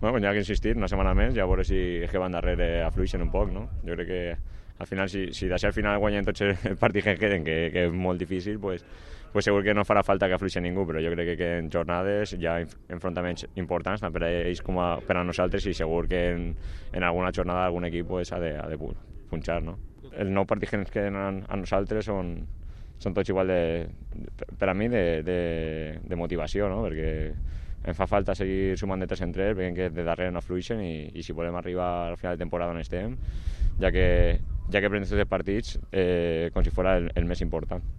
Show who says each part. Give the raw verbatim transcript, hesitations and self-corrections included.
Speaker 1: Bueno, pues hi ha que insistir una setmana més i a veure si és que van darrere afluixen un poc, no? Jo crec que al final, si, si d'això al final guanyen tots els partits que queden, que, que és molt difícil, pues, pues segur que no farà falta que afluixi ningú, però jo crec que, que en jornades hi ha enfrontaments importants tant per a ells com a, per a nosaltres, i segur que en, en alguna jornada algun equip pues, ha de, ha de punxar, no? Els nou partits que ens queden a, a nosaltres són, són tots igual de, per a mi de, de, de motivació, no? Perquè em fa falta seguir sumant de tres en tres, veient que de darrere no fluixen, i, i si volem arribar al final de temporada on estem, ja que, ja que prendem tots els partits eh, com si fos el, el més important.